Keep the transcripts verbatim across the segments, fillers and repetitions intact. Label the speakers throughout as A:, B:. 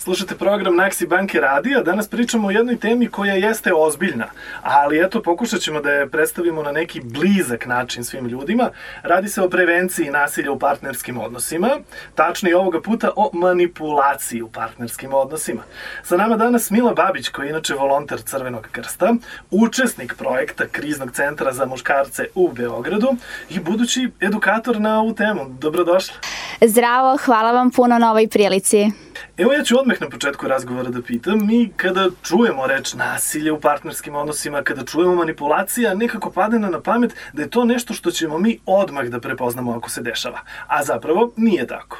A: Slušate program Naksi Banke Radio, danas pričamo o jednoj temi koja jeste ozbiljna, ali eto pokušat ćemo da je predstavimo na neki blizak način svim ljudima. Radi se o prevenciji nasilja u partnerskim odnosima, tačnije ovoga puta o manipulaciji u partnerskim odnosima. Sa nama danas Mila Babić, koja je inače volonter Crvenog krsta, učesnik projekta Kriznog centra za muškarce u Beogradu i budući edukator na ovu temu. Dobrodošla.
B: Zdravo, hvala vam puno na ovoj prilici.
A: Evo ja ću odmah na početku razgovora da pitam, mi kada čujemo reč nasilje u partnerskim odnosima, kada čujemo manipulacija, nekako padne nam na pamet da je to nešto što ćemo mi odmah da prepoznamo ako se dešava, a zapravo nije tako.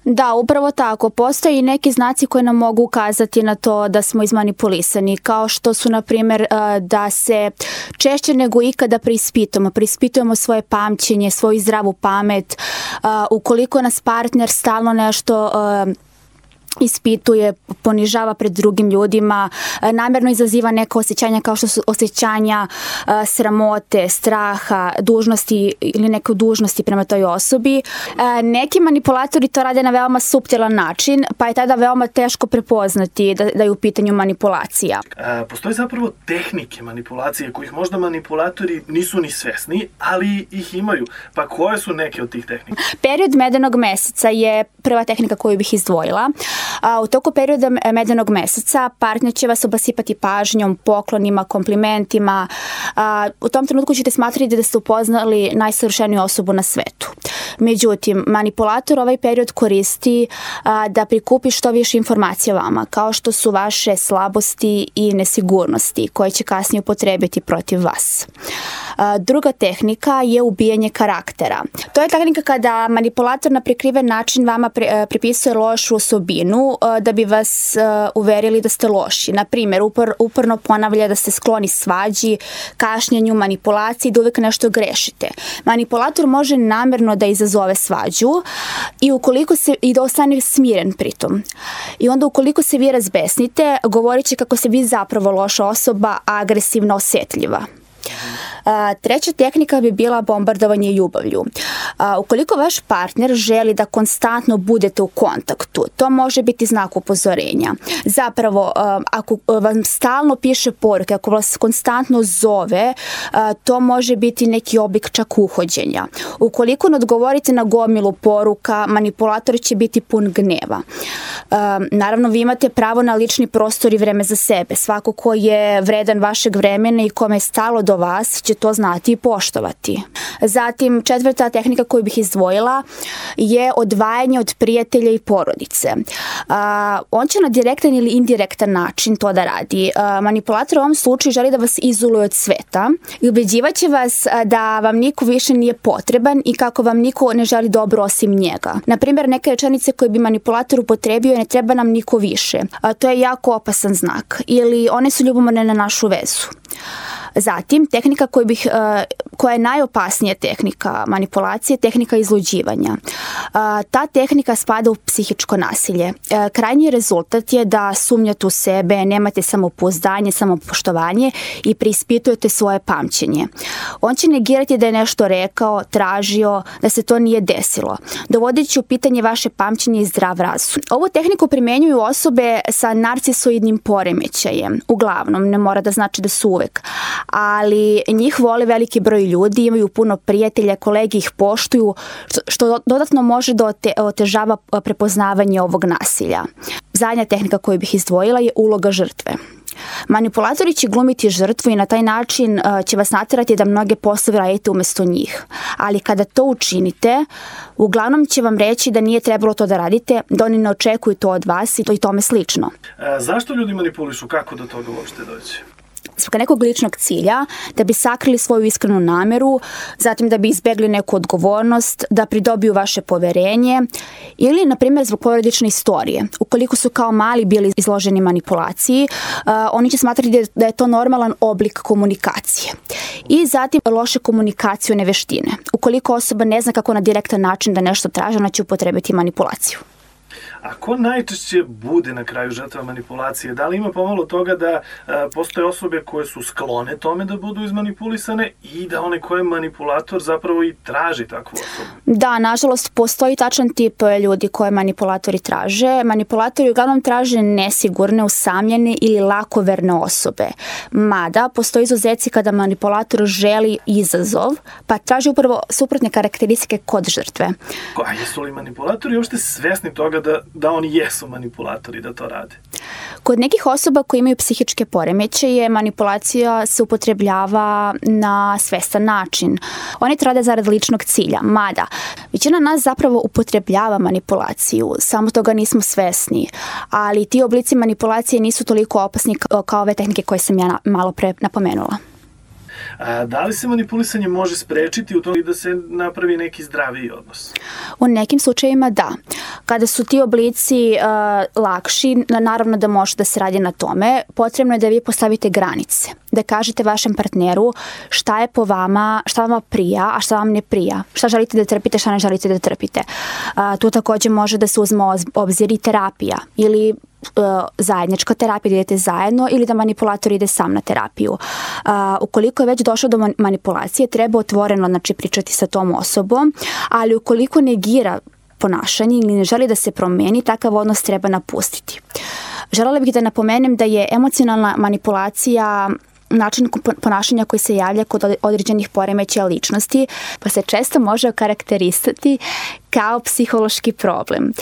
B: Da, upravo tako. Postoje i neki znaci koji nam mogu ukazati na to da smo izmanipulisani, kao što su, na primjer, da se češće nego ikada preispitujemo, preispitujemo svoje pamćenje, svoju zdravu pamet, ukoliko nas partner stalno nešto ispituje, ponižava pred drugim ljudima, namjerno izaziva neka osjećanja kao što su osjećanja sramote, straha, dužnosti ili neke dužnosti prema toj osobi. Neki manipulatori to rade na veoma suptilan način, pa je tada veoma teško prepoznati da, da je u pitanju manipulacija.
A: E, postoje zapravo tehnike manipulacije kojih možda manipulatori nisu ni svesni, ali ih imaju. Pa koje su neke od tih tehnika?
B: Period medenog meseca je prva tehnika koju bih izdvojila. A, u toku perioda medenog meseca partner će vas obasipati pažnjom, poklonima, komplimentima. A, u tom trenutku ćete smatrati da ste upoznali najsavršeniju osobu na svetu. Međutim, manipulator ovaj period koristi a, da prikupi što više informacija o vama, kao što su vaše slabosti i nesigurnosti koje će kasnije upotrebiti protiv vas. A, druga tehnika je ubijanje karaktera. To je tehnika kada manipulator na prikriven način vama pre, pripisuje lošu osobinu da bi vas uverili da ste loši. Na primjer, upor, uporno ponavlja da ste skloni svađi, kašnjenju, manipulaciji, da uvijek nešto grešite. Manipulator može namjerno da izazove svađu i ukoliko se i da ostane smiren pritom. I onda ukoliko se vi razbesnite, govorit će kako ste vi zapravo loša osoba, agresivno osjetljiva. A, treća tehnika bi bila bombardovanje ljubavlju. A, ukoliko vaš partner želi da konstantno budete u kontaktu, to može biti znak upozorenja. Zapravo, a, ako vam stalno piše poruke, ako vas konstantno zove, a, to može biti neki oblik čak uhođenja. Ukoliko ne odgovorite na gomilu poruka, manipulator će biti pun gneva. A, naravno, vi imate pravo na lični prostor i vreme za sebe. Svako ko je vredan vašeg vremena i kome je stalo do vas će to znati i poštovati. Zatim, četvrta tehnika koju bih izdvojila je odvajanje od prijatelja i porodice. A, on će na direktan ili indirektan način to da radi. A, manipulator u ovom slučaju želi da vas izoluje od sveta i ubeđivaće vas da vam niko više nije potreban i kako vam niko ne želi dobro osim njega. Na primjer, neke rečenice koje bi manipulator upotrebio je ne treba nam niko više. A, to je jako opasan znak. Ili one su ljubomorne na našu vezu. Zatim, tehnika koju bih, koja je najopasnija tehnika manipulacije, tehnika izluđivanja. Ta tehnika spada u psihičko nasilje. Krajnji rezultat je da sumnjate u sebe, nemate samopouzdanje, samopoštovanje i preispitujete svoje pamćenje. On će negirati da je nešto rekao, tražio, da se to nije desilo, dovodeći u pitanje vaše pamćenje i zdrav razum. Ovu tehniku primjenjuju osobe sa narcisoidnim poremećajem. Uglavnom, ne mora da znači da su uvek, ali njih vole veliki broj ljudi, imaju puno prijatelja, kolege ih poštuju, što dodatno može da otežava prepoznavanje ovog nasilja. Zadnja tehnika koju bih izdvojila je uloga žrtve. Manipulatori će glumiti žrtvu i na taj način će vas natjerati da mnoge poslove radite umjesto njih. Ali kada to učinite, uglavnom će vam reći da nije trebalo to da radite, da oni ne očekuju to od vas i to i tome slično.
A: E, zašto ljudi manipulišu? Kako do toga uopšte doći?
B: Zbog nekog ličnog cilja, da bi sakrili svoju iskrenu nameru, zatim da bi izbjegli neku odgovornost, da pridobiju vaše poverenje ili, na primjer, zbog porodične istorije. Ukoliko su kao mali bili izloženi manipulaciji, uh, oni će smatrati da je to normalan oblik komunikacije. I zatim loše komunikacijone veštine. Ukoliko osoba ne zna kako na direktan način da nešto traži, ona će upotrebiti manipulaciju.
A: A ko najčešće bude na kraju žrtva manipulacije? Da li ima pomalo toga da a, postoje osobe koje su sklone tome da budu izmanipulisane i da one koje je manipulator zapravo i traži takvu osobu?
B: Da, nažalost, postoji tačan tip ljudi koje manipulatori traže. Manipulatori uglavnom traže nesigurne, usamljene ili lakoverne osobe. Mada, postoji izuzeci kada manipulator želi izazov, pa traži upravo suprotne karakteristike kod žrtve.
A: A jesu li manipulatori uopšte svesni toga da, da oni jesu manipulatori, da to rade?
B: Kod nekih osoba koji imaju psihičke poremećaje, manipulacija se upotrebljava na svestan način. Oni to rade zarad ličnog cilja, mada većina nas zapravo upotrebljava manipulaciju, samo toga nismo svesni, ali ti oblici manipulacije nisu toliko opasni kao ove tehnike koje sam ja malo pre napomenula.
A: A da li se manipulisanje može sprečiti u tom da se napravi neki zdraviji odnos?
B: U nekim slučajevima da. Kada su ti oblici uh, lakši, naravno da može da se radi na tome, potrebno je da vi postavite granice, da kažete vašem partneru šta je po vama, šta vama prija, a šta vam ne prija, šta želite da trpite, šta ne želite da trpite. Uh, tu takođe može da se uzme obzir i terapija ili zajednička terapija, da idete zajedno ili da manipulator ide sam na terapiju. Uh, ukoliko je već došlo do manipulacije, treba otvoreno znači, pričati sa tom osobom, ali ukoliko negira ponašanje ili ne želi da se promeni, takav odnos treba napustiti. Želela bih da napomenem da je emocionalna manipulacija način ponašanja koji se javlja kod određenih poremećaja ličnosti, pa se često može okarakterisati kao psihološki problem.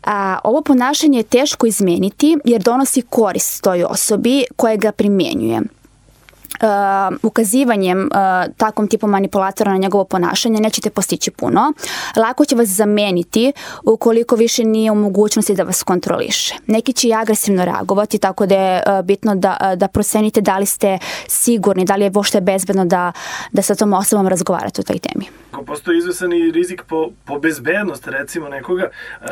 B: A, ovo ponašanje je teško izmeniti jer donosi korist toj osobi koja ga primjenjuje. Uh, ukazivanjem uh, takvom tipu manipulatora na njegovo ponašanje nećete postići puno. Lako će vas zameniti ukoliko više nije u mogućnosti da vas kontroliše. Neki će i agresivno reagovati, tako da je uh, bitno da, uh, da procenite da li ste sigurni, da li je uopšte bezbedno da, da sa tom osobom razgovarate o toj temi.
A: Ako postoji izvesan i rizik po, po bezbednost recimo nekoga, uh,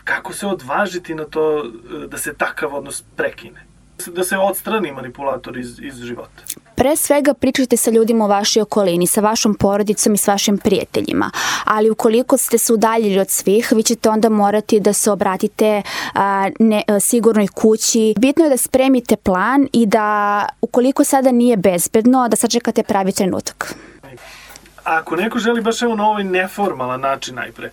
A: kako se odvažiti na to da se takav odnos prekine? Da se odstrani manipulator iz, iz života?
B: Pre svega pričajte sa ljudima u vašoj okolini, sa vašom porodicom i s vašim prijateljima, ali ukoliko ste se udaljili od svih, vi ćete onda morati da se obratite a, ne, a, sigurnoj kući. Bitno je da spremite plan i da ukoliko sada nije bezbedno, da sačekate pravi trenutak.
A: Ako neko želi baš evo na ovaj neformalan način najpre,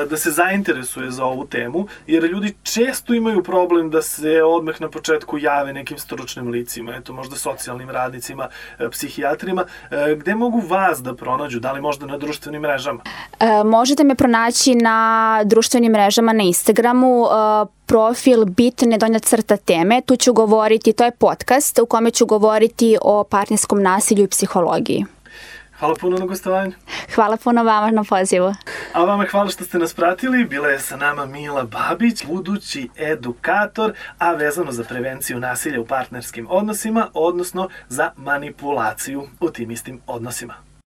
A: da se zainteresuje za ovu temu, jer ljudi često imaju problem da se odmah na početku jave nekim stručnim licima, eto možda socijalnim radnicima, psihijatrima, gde mogu vas da pronađu, da li možda na društvenim mrežama?
B: E, možete me pronaći na društvenim mrežama, na Instagramu, e, profil bitne donja crta teme, tu ću govoriti, to je podcast u kome ću govoriti o partnerskom nasilju i psihologiji.
A: Hvala puno na gostovanju.
B: Hvala puno vama na pozivu.
A: A vama hvala što ste nas pratili. Bila je sa nama Mila Babić, budući edukator, a vezano za prevenciju nasilja u partnerskim odnosima, odnosno za manipulaciju u tim istim odnosima.